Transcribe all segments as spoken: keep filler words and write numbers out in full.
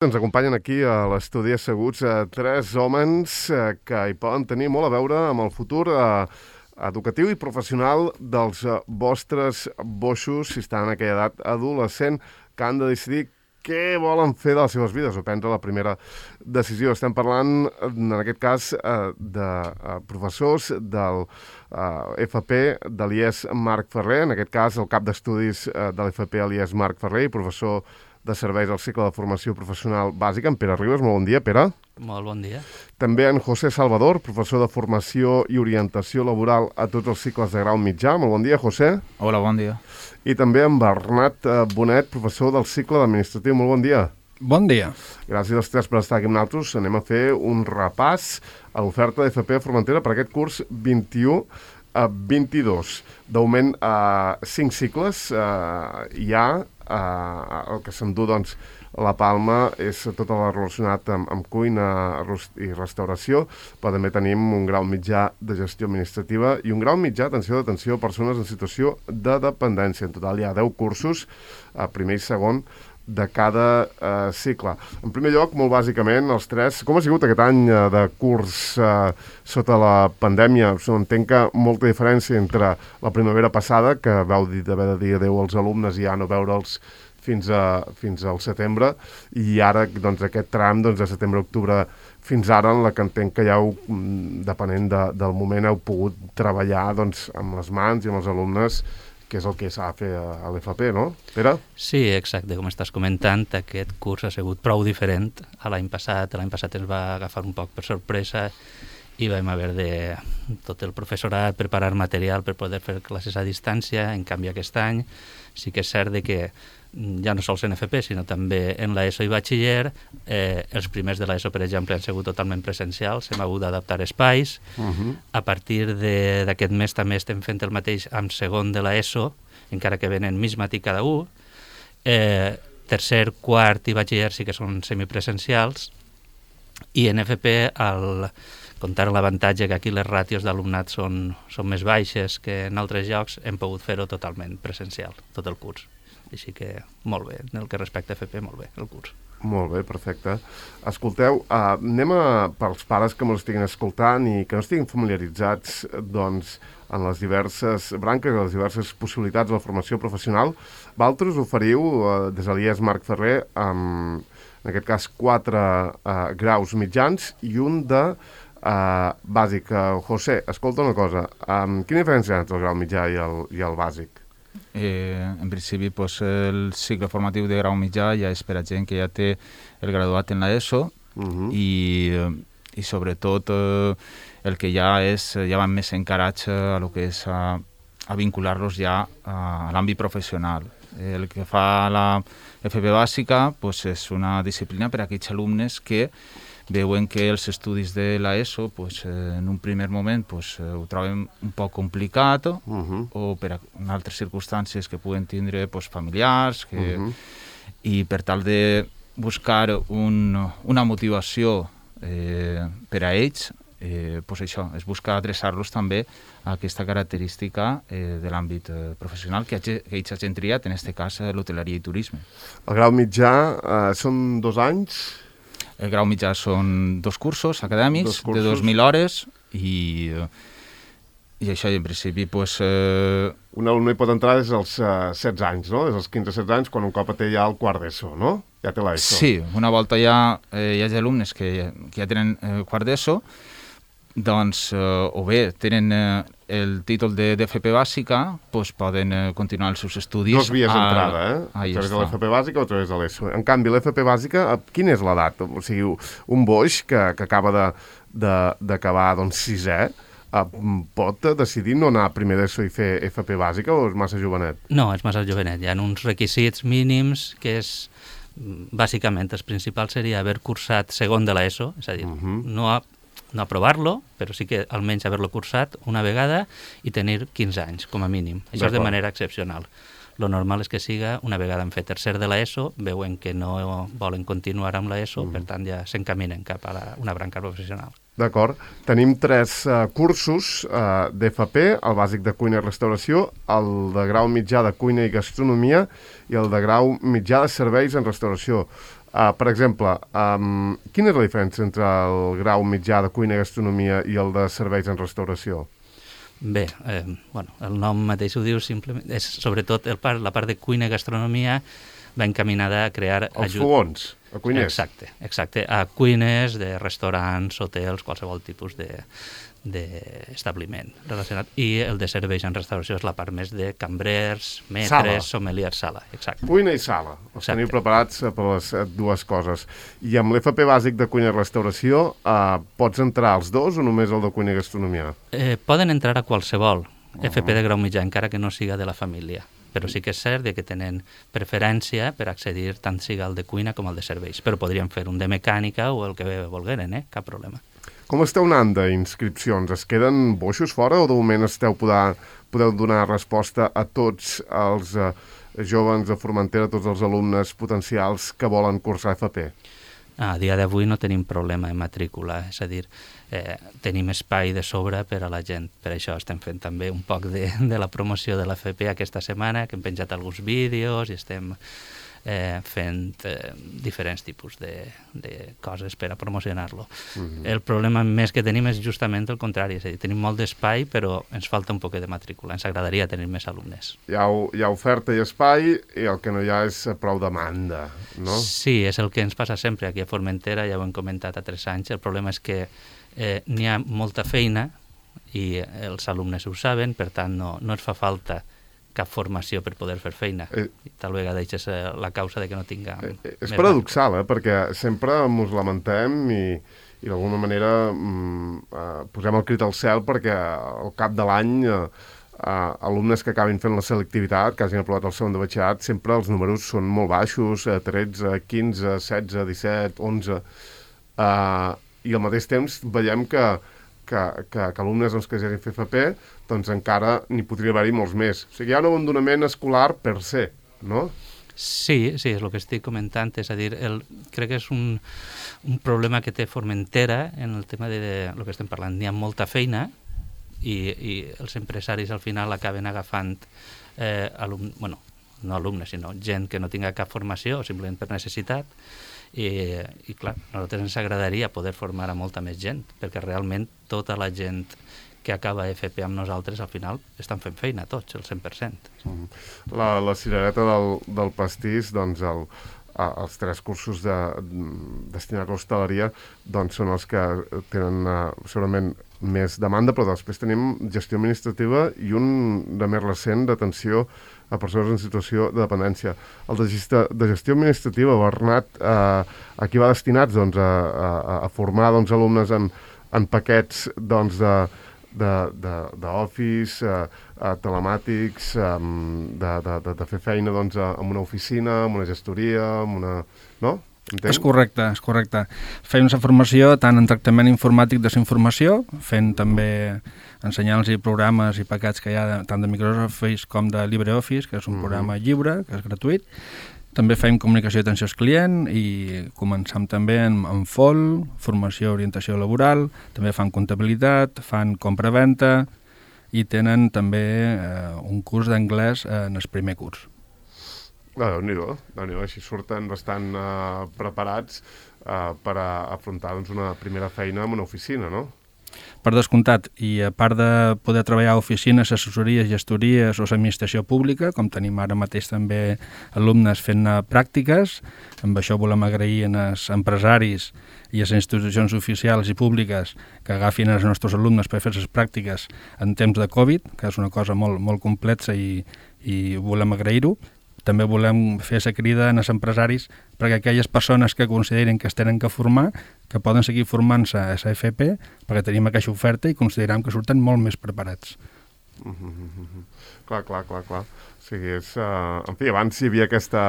Ens acompanyen aquí a l'estudi asseguts eh, tres homes eh, que hi poden tenir molt a veure amb el futur eh, educatiu i professional dels eh, vostres boixos, si estan en aquella edat adolescent, que han de decidir què volen fer de les seves vides o prendre la primera decisió. Estem parlant, en aquest cas, eh, de eh, professors del eh, F P de l'I E S Marc Ferrer, en aquest cas el cap d'estudis eh, de l'F P a l'I E S Marc Ferrer i professor de serveis al cicle de formació professional bàsica, en Pere Ribas. Molt bon dia, Pere. Molt bon dia. També en José Salvador, professor de formació i orientació laboral a tots els cicles de grau mitjà. Molt bon dia, José. Hola, bon dia. I també en Bernat Bonet, professor del cicle d'administratiu. Molt bon dia. Bon dia. Gràcies als tres per estar aquí amb nosaltres. Anem a fer un repàs a l'oferta d'F P a Formentera per aquest curs vint-i-u a vint-i-dos. D'augment a cinc cicles eh, hi ha. Uh, el que s'endú, doncs, la palma és tot el relacionat amb, amb cuina i restauració, però també tenim un grau mitjà de gestió administrativa i un grau mitjà, atenció, d'atenció a persones en situació de dependència. En total hi ha deu cursos, uh, primer i segon, de cada uh, cicle. En primer lloc, molt bàsicament, els tres, com ha sigut aquest any uh, de curs uh, sota la pandèmia? Entenc que molta diferència entre la primavera passada, que vau d'haver de dir adeu als alumnes i ja no veure'ls fins, a, fins al setembre, i ara, doncs, aquest tram, doncs, de setembre a octubre fins ara, en la que entenc que ja heu, depenent de, del moment, heu pogut treballar, doncs, amb les mans i amb els alumnes, que és el que s'ha de fer a l'F P, no? Pere? Sí, exacte, com estàs comentant, aquest curs ha sigut prou diferent a l'any passat. L'any passat ens va agafar un poc per sorpresa i vam haver de tot el professorat preparar material per poder fer classes a distància. En canvi, aquest any sí que és cert de que ja no sols en F P, sinó també en l'ESO i batxiller. Eh, els primers de l'ESO, per exemple, han sigut totalment presencials, hem hagut d'adaptar espais. Uh-huh. A partir d'aquest mes també estem fent el mateix amb segon de l'ESO, encara que venen mig matí cada un. Eh, tercer, quart i batxiller sí que són semipresencials. I en F P, al comptar l'avantatge que aquí les ràtios d'alumnat són, són més baixes que en altres llocs, hem pogut fer-ho totalment presencial, tot el curs. Així que molt bé, en el que respecta a F P, molt bé, el curs. Molt bé, perfecte. Escolteu, uh, anem a, pels pares que m'ho estiguin escoltant i que no estiguin familiaritzats, doncs, en les diverses branques, en les diverses possibilitats de la formació professional. Vosaltres oferiu, uh, des de l'I E S Marc Ferrer, amb, en aquest cas, quatre uh, graus mitjans i un de uh, bàsic. Uh, José, escolta una cosa, um, quina diferència hi ha entre el grau mitjà i el, i el bàsic? Eh, en principi, pues, el cicle formatiu de grau mitjà ja és per a gent que ja té el graduat en l'ESO uh-huh. i, i sobretot eh, el que ja és, ja van més encarats a lo que és a, a vincular-los ja a, a l'àmbit professional. El que fa la F P bàsica pues, és una disciplina per a aquells alumnes que veuen que els estudis de l'ESO pues, en un primer moment pues, ho troben un poc complicat uh-huh. o per a altres circumstàncies que puguen tindre pues, familiars que, uh-huh. i per tal de buscar un, una motivació eh, per a ells eh, pues això, és buscar adreçar-los també a aquesta característica eh, de l'àmbit eh, professional que, que ells hagin triat, en aquest cas l'hoteleria i turisme. El grau mitjà eh, són dos anys? El grau mitjà són dos cursos acadèmics dos cursos. de dos mil hores i, i això en principi pues, eh... un alumne hi pot entrar des dels uh, setze anys, no? Des dels quinze a setze anys, quan un cop té ja el quart d'ESO, no? Ja té l'ESO. Sí, una volta ja eh, hi ha alumnes que, que ja tenen eh, quart d'ESO, doncs eh, o bé tenen eh, el títol de d'F P bàsica, doncs poden eh, continuar els seus estudis. Dos vies d'entrada, eh? A través de l'F P bàsica o a través de l'ESO. En canvi, l'F P bàsica, quina és l'edat? O sigui, un boix que, que acaba d'acabar doncs, sisè, eh, pot decidir no anar primer d'ESO i fer F P bàsica o és massa jovenet? No, és massa jovenet. Hi ha uns requisits mínims que és, bàsicament, el principal seria haver cursat segon de l'ESO, és a dir, uh-huh. no ha no aprovar-lo, però sí que almenys haver-lo cursat una vegada i tenir quinze anys, com a mínim. Això és de manera excepcional. Lo normal és que siga una vegada en fer tercer de l'ESO, veuen que no volen continuar amb l'ESO, mm. per tant ja s'encaminen cap a la, una branca professional. D'acord. Tenim tres uh, cursos uh, d'F P, el bàsic de cuina i restauració, el de grau mitjà de cuina i gastronomia i el de grau mitjà de serveis en restauració. Uh, per exemple, um, quina és la diferència entre el grau mitjà de cuina i gastronomia i el de serveis en restauració? Bé, eh, bueno, el nom mateix ho diu, simplement, és sobretot el part, la part de cuina i gastronomia va encaminada a crear... Els ajut... fogons, a cuiners. Exacte, exacte, a cuines de restaurants, hotels, qualsevol tipus de d'establiment relacionat. I el de serveis en restauració és la part més de cambrers, metres, sommeliers, sala. Exacte. Cuina i sala. Els teniu preparats per les dues coses. I amb l'F P bàsic de cuina i restauració eh, pots entrar als dos o només el de cuina i gastronomia? Eh, poden entrar a qualsevol uh-huh. F P de grau mitjà, encara que no siga de la família. Però sí que és cert que tenen preferència per accedir tant siga al de cuina com al de serveis. Però podrien fer un de mecànica o el que volgueren, eh? Cap problema. Com esteu anant d'inscripcions? Es queden boixos fora o de moment esteu poder, podeu donar resposta a tots els eh, joves de Formentera, tots els alumnes potencials que volen cursar F P? A dia d'avui no tenim problema en matrícula, és a dir, eh, tenim espai de sobre per a la gent. Per això estem fent també un poc de, de la promoció de l'F P aquesta setmana, que hem penjat alguns vídeos i estem eh, fent eh, diferents tipus de, de coses per a promocionar-lo. Mm-hmm. El problema més que tenim és justament el contrari, és a dir, tenim molt d'espai però ens falta un poc de matrícula, ens agradaria tenir més alumnes. Hi ha, hi ha oferta i espai i el que no hi ha és prou demanda, no? Sí, és el que ens passa sempre aquí a Formentera, ja ho hem comentat a tres anys, el problema és que eh, n'hi ha molta feina i els alumnes ho saben, per tant no, no ens fa falta cap formació per poder fer feina. Eh, I tal vegada això és la causa de que no tinguem... Eh, és paradoxal, eh? Perquè sempre ens lamentem i, i d'alguna manera mm, eh, posem el crit al cel perquè al cap de l'any eh, eh, alumnes que acabin fent la selectivitat, que hagin aprovat el segon de batxillerat, sempre els números són molt baixos, eh, tretze, quinze, setze, disset, onze... Eh, i al mateix temps veiem que, que, que, que alumnes doncs, que ja hagin fet F P doncs encara n'hi podria haver-hi molts més. O sigui, hi ha un abandonament escolar per se, no? Sí, sí, és el que estic comentant, és a dir, el, crec que és un, un problema que té Formentera en el tema de, de lo que estem parlant. N'hi ha molta feina i, i els empresaris al final acaben agafant eh, alum, bueno, no alumnes, sinó gent que no tinga cap formació o simplement per necessitat. I, i clar, a nosaltres ens agradaria poder formar a molta més gent, perquè realment tota la gent que acaba F P amb nosaltres al final estan fent feina tots, el cent per cent. La, la cirereta del, del pastís, doncs el, els tres cursos de, destinats a l'hostaleria doncs són els que tenen uh, segurament més demanda, però després tenim gestió administrativa i un de més recent d'atenció a persones en situació de dependència. El de gestió, de gestió administrativa, Bernat, eh, aquí va destinats doncs, a, a, a formar doncs, alumnes en, en paquets doncs, de, de, de, d'office, eh, a telemàtics, eh, de, de, de, de fer feina doncs, en una oficina, en una gestoria, en una... no? Entenc? És correcte, és correcte. Fem una formació tant en tractament informàtic de desinformació, fent també ensenyant-los programes i paquets que hi ha tant de Microsoft Office com de LibreOffice, que és un mm-hmm. programa lliure, que és gratuït. També fem comunicació d'atenció al client i començam també en, en F O L, formació orientació laboral, també fan comptabilitat, fan compra-venta i tenen també eh, un curs d'anglès eh, en el primer curs. Ah, Déu-n'hi-do, Déu-n'hi-do, així surten bastant uh, preparats uh, per a afrontar doncs, una primera feina en una oficina, no? Per descomptat, i a part de poder treballar a oficines, assessories, gestories o administració pública, com tenim ara mateix també alumnes fent pràctiques, amb això volem agrair als empresaris i a les institucions oficials i públiques que agafin els nostres alumnes per fer les pràctiques en temps de Covid, que és una cosa molt, molt complexa i, i volem agrair-ho. També volem fer la crida als empresaris perquè aquelles persones que consideren que es tenen que formar, que poden seguir formant-se a la F P, perquè tenim aquesta oferta i considerem que surten molt més preparats. Mm-hmm. Clar, clar, clar, clar. O sigui, és, uh, en fi, abans hi havia aquesta,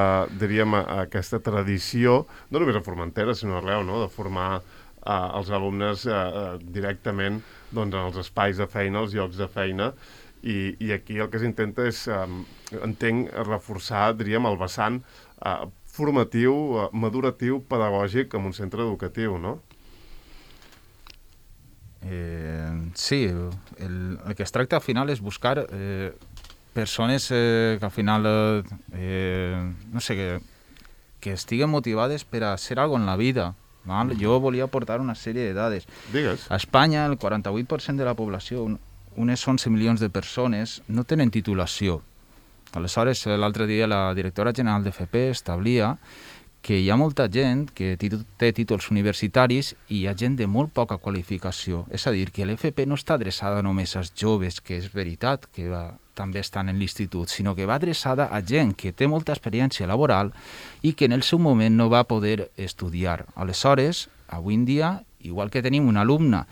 diríem, aquesta tradició, no només a Formentera, sinó arreu, no?, de formar uh, els alumnes uh, directament doncs, en els espais de feina, els llocs de feina, I, i aquí el que s'intenta és, um, entenc, reforçar, diríem, el vessant uh, formatiu, uh, maduratiu, pedagògic en un centre educatiu, no? Eh, sí, el, el que es tracta al final és buscar eh, persones eh, que al final, eh, no sé, que, que estiguen motivades per a ser alguna cosa en la vida. Val? Jo volia aportar una sèrie de dades. Digues. A Espanya, el quaranta-vuit per cent de la població, unes onze milions de persones, no tenen titulació. Aleshores, l'altre dia la directora general d'F P establia que hi ha molta gent que té títols universitaris i hi ha gent de molt poca qualificació. És a dir, que l'F P no està adreçada només als joves, que és veritat que va, també estan en l'institut, sinó que va adreçada a gent que té molta experiència laboral i que en el seu moment no va poder estudiar. Aleshores, avui en dia, igual que tenim un alumne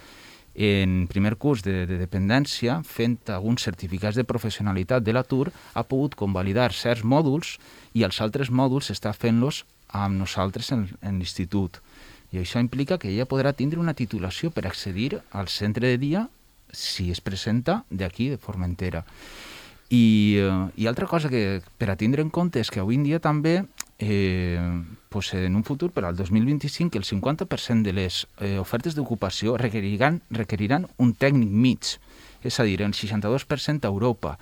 en primer curs de, de dependència, fent alguns certificats de professionalitat de l'atur, ha pogut convalidar certs mòduls i els altres mòduls està fent-los amb nosaltres en, en l'institut. I això implica que ella podrà tindre una titulació per accedir al centre de dia si es presenta d'aquí, de Formentera. I, eh, i altra cosa que per a tindre en compte és que avui en dia també, eh, pues en un futur, per al dos mil vint-i-cinc, el cinquanta per cent de les eh, ofertes d'ocupació requeriran, requeriran un tècnic mig, és a dir, el seixanta-dos per cent a Europa.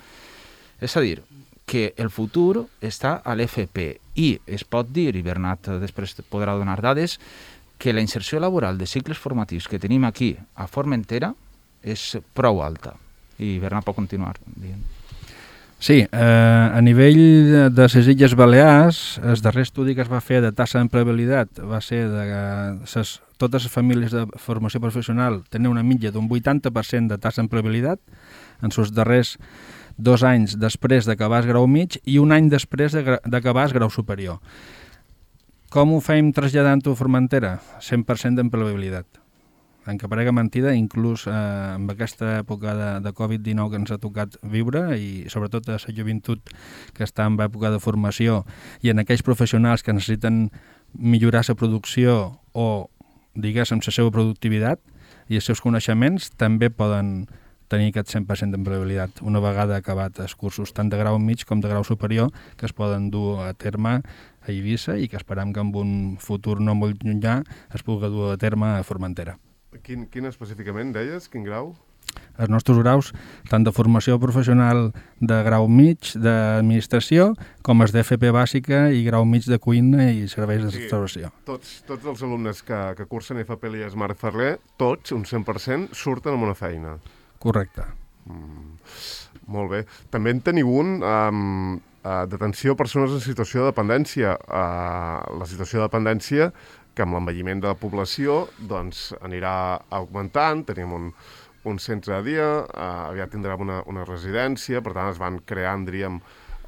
És a dir, que el futur està a l'F P i es pot dir, i Bernat després podrà donar dades, que la inserció laboral de cicles formatius que tenim aquí a Formentera és prou alta. I Bernat pot continuar dient. Sí, eh, a nivell de les Illes Balears, el darrer estudi que es va fer de tassa d'empleabilitat va ser de ses, totes les famílies de formació professional tenen una mitja d'un vuitanta per cent de tassa d'empleabilitat en els darrers dos anys després d'acabar el grau mig i un any després d'acabar el grau superior. Com ho fem traslladant-ho a Formentera? cent per cent d'empleabilitat. En que parega mentida, inclús eh, en aquesta època de, de covid dinou que ens ha tocat viure i sobretot a la joventut que està en època de formació i en aquells professionals que necessiten millorar la producció o, diguéssim, la seva productivitat i els seus coneixements, també poden tenir aquest cent per cent d'empleabilitat una vegada acabat els cursos tant de grau mig com de grau superior que es poden dur a terme a Eivissa i que esperam que en un futur no molt llunyà es pugui dur a terme a Formentera. Quin, quin específicament deies? Quin grau? Els nostres graus, tant de formació professional de grau mig d'administració, com els d'F P bàsica i grau mig de cuina i serveis de restauració. Sí, tots, tots els alumnes que, que cursen F P L I A S Marc Ferrer, tots, un cent per cent, surten amb una feina. Correcte. Mm, molt bé. També en teniu un um, uh, d'atenció a persones en situació de dependència. Uh, la situació de dependència que amb l'envelliment de la població doncs, anirà augmentant, tenim un, un centre de dia, eh, aviat tindrem una, una residència, per tant es van creant, diríem,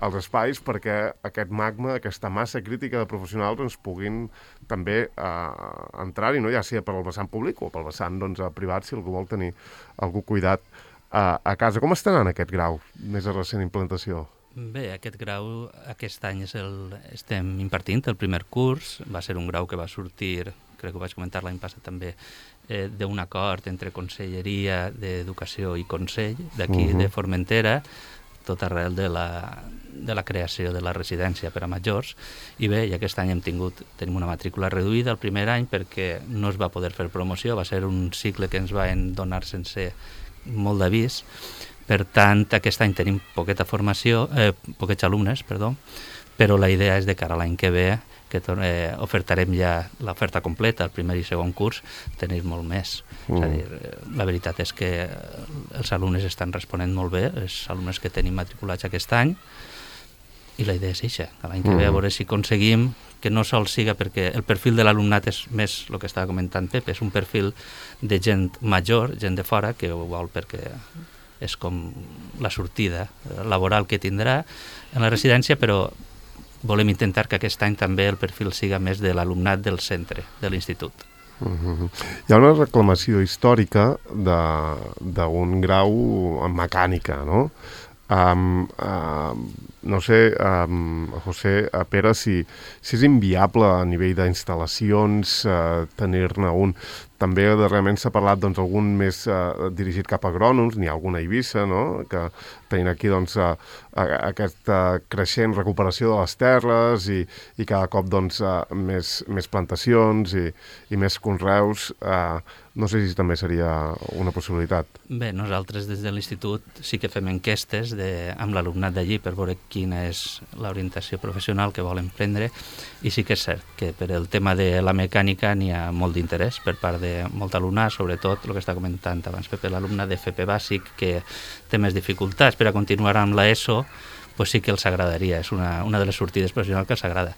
els espais perquè aquest magma, aquesta massa crítica de professionals ens puguin també eh, entrar-hi, no? Ja sigui per al vessant públic o pel vessant doncs, privat, si algú vol tenir algú cuidat eh, a casa. Com està anant aquest grau, més a recent implantació? Bé, aquest grau aquest any és el, estem impartint el primer curs. Va ser un grau que va sortir, crec que ho vaig comentar l'any passat també, eh, d'un acord entre Conselleria d'Educació i Consell d'aquí uh-huh. de Formentera, tot arrel de la, de la creació de la residència per a majors. I bé, i aquest any hem tingut, tenim una matrícula reduïda el primer any perquè no es va poder fer promoció, va ser un cicle que ens van donar sense molt d'avís. Per tant, aquest any tenim poqueta formació, eh, poquets alumnes, perdó, però la idea és de cara a l'any que ve, que eh, ofertarem ja l'oferta completa, el primer i segon curs, tenir molt més. Mm. És a dir, la veritat és que els alumnes estan responent molt bé, els alumnes que tenim matriculats aquest any, i la idea és eixa, l'any que mm. ve a veure si aconseguim que no sol siga, perquè el perfil de l'alumnat és més el que estava comentant Pep, és un perfil de gent major, gent de fora, que ho vol perquè és com la sortida laboral que tindrà en la residència, però volem intentar que aquest any també el perfil siga més de l'alumnat del centre, de l'institut. Uh-huh. Hi ha una reclamació històrica d'un grau en mecànica, no? Um, um, no sé, um, José, uh, Pere, si, si és inviable a nivell d'instal·lacions uh, tenir-ne un. També darrerament s'ha parlat doncs, algun més uh, dirigit cap a agrònoms, n'hi ha alguna a Eivissa, no? Que tenint aquí doncs, uh, aquesta creixent recuperació de les terres i, i cada cop doncs, uh, més, més plantacions i, i més conreus. Uh, no sé si també seria una possibilitat. Bé, nosaltres des de l'institut sí que fem enquestes de, amb l'alumnat d'allí per veure quina és l'orientació professional que volen prendre, i sí que és cert que per el tema de la mecànica n'hi ha molt d'interès per part de molt alumnat, sobretot el que està comentant abans Pepe, l'alumne d'F P bàsic que té més dificultats per a continuar amb l'ESO, pues sí que els agradaria, és una, una de les sortides professionals que els agrada.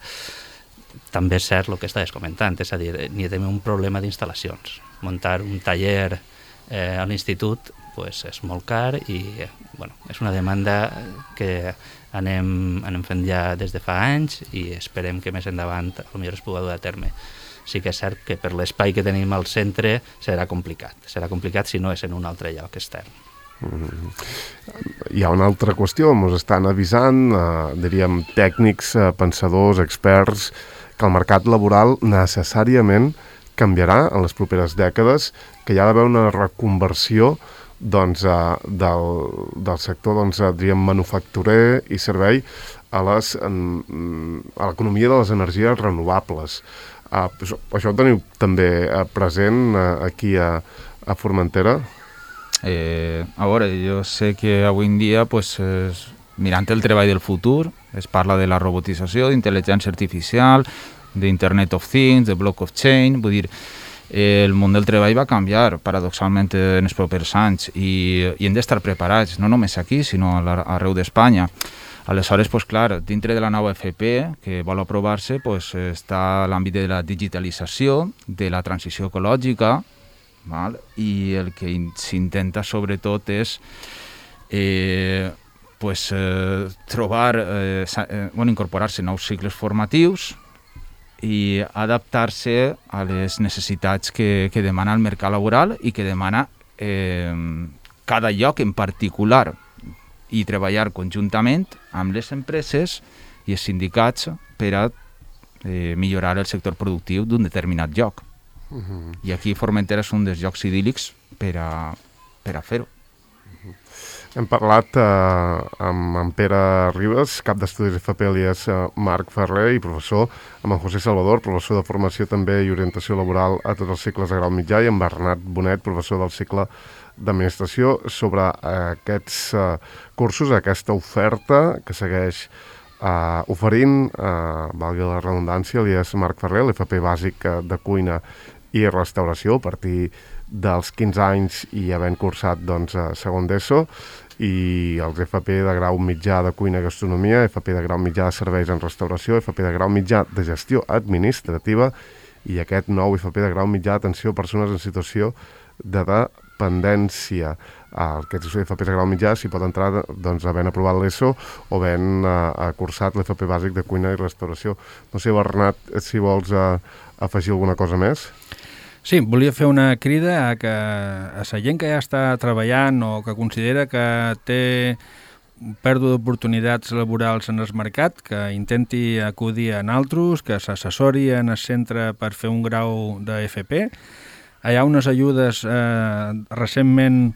També és cert el que estàs comentant, és a dir, n'hi ha un problema d'instal·lacions. Muntar un taller eh, a l'institut pues, és molt car i bueno, és una demanda que anem, anem fent ja des de fa anys i esperem que més endavant potser es pugui dur a terme. Sí que és cert que per l'espai que tenim al centre serà complicat. Serà complicat si no és en un altre lloc extern. Mm-hmm. Hi ha una altra qüestió, ens estan avisant, eh, diríem, tècnics, eh, pensadors, experts, que el mercat laboral necessàriament canviarà en les properes dècades, que hi ha d'haver una reconversió doncs, uh, del, del sector doncs, uh, diríem, manufacturer i servei a les, um, a l'economia de les energies renovables. Uh, això, això ho teniu també uh, present uh, aquí a, a Formentera? Eh, a veure, jo sé que avui en dia, pues, es, mirant el treball del futur, es parla de la robotització, d'intel·ligència artificial, d'Internet of Things, de blockchain, vull dir, el món del treball va canviar paradoxalment en els propers anys i, i hem d'estar preparats, no només aquí, sinó arreu d'Espanya. Aleshores, pues, clar, dintre de la nova F P que vol aprovar-se, pues, està l'àmbit de la digitalització, de la transició ecològica, val? I el que s'intenta sobretot és eh, pues, eh, trobar, eh, eh, bueno, incorporar-se nous cicles formatius i adaptar-se a les necessitats que, que demana el mercat laboral i que demana eh, cada lloc en particular, i treballar conjuntament amb les empreses i els sindicats per a eh, millorar el sector productiu d'un determinat lloc. Uh-huh. I aquí Formentera és un dels llocs idíl·lics per a, per a fer-ho. Uh-huh. Hem parlat eh, amb en Pere Ribas, cap d'estudis F P, alias eh, Marc Ferrer, i professor, amb en José Salvador, professor de formació també i orientació laboral a tots els cicles de grau mitjà, i amb Bernat Bonet, professor del cicle d'administració, sobre eh, aquests eh, cursos, aquesta oferta que segueix eh, oferint, eh, valgui la redundància, alias Marc Ferrer, l'F P bàsic de cuina i restauració, a partir dels quinze anys i havent cursat doncs, a segon d'ESO, i els F P de grau mitjà de cuina i gastronomia, F P de grau mitjà de serveis en restauració, F P de grau mitjà de gestió administrativa i aquest nou F P de grau mitjà d'atenció a persones en situació de dependència. Aquests F P de grau mitjà s'hi pot entrar doncs, havent aprovat l'ESO o havent uh, cursat l'F P bàsic de cuina i restauració. No sé, Bernat, si vols uh, afegir alguna cosa més? Sí, volia fer una crida a, que, a la gent que ja està treballant o que considera que té pèrdua d'oportunitats laborals en el mercat, que intenti acudir a naltros, que s'assessori en el centre per fer un grau de F P. Hi ha unes ajudes eh, recentment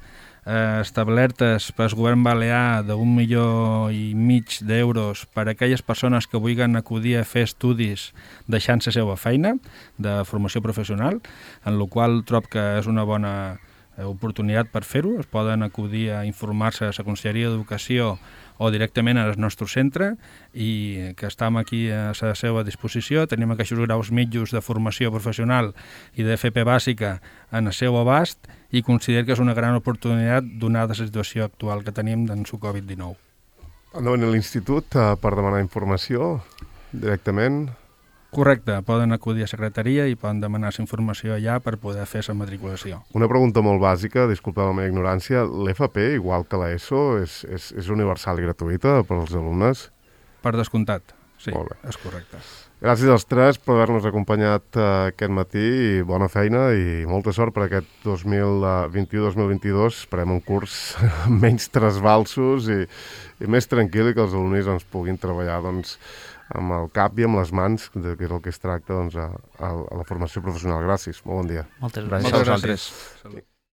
eh, establertes pel govern balear d'un milió i mig d'euros per a aquelles persones que vulguin acudir a fer estudis deixant la seva feina de formació professional, en la qual trob que és una bona oportunitat per fer-ho. Es poden acudir a informar-se a la Conselleria d'Educació o directament al nostre centre, i que estem aquí a la seva disposició. Tenim aquests graus mitjos de formació professional i de F P bàsica en el seu abast, i considero que és una gran oportunitat donada la situació actual que tenim d'en su Covid dinou. Andaven a l'institut uh, per demanar informació directament? Correcte, poden acudir a secretaria i poden demanar la informació allà per poder fer la matriculació. Una pregunta molt bàsica, disculpeu la meva ignorància, l'F P, igual que l'ESO, és, és, és universal i gratuïta per als alumnes? Per descomptat, sí, és correcte. Gràcies als tres per haver-nos acompanyat uh, aquest matí, i bona feina i molta sort per aquest dos mil vint-i-u dos mil vint-i-dos. Esperem un curs menys trasbalsos i, i més tranquil, i que els alumnes doncs, puguin treballar doncs, amb el cap i amb les mans, que és el que es tracta doncs, a, a la formació professional. Gràcies, molt bon dia. Moltes gràcies. gràcies. Moltes gràcies. Salut.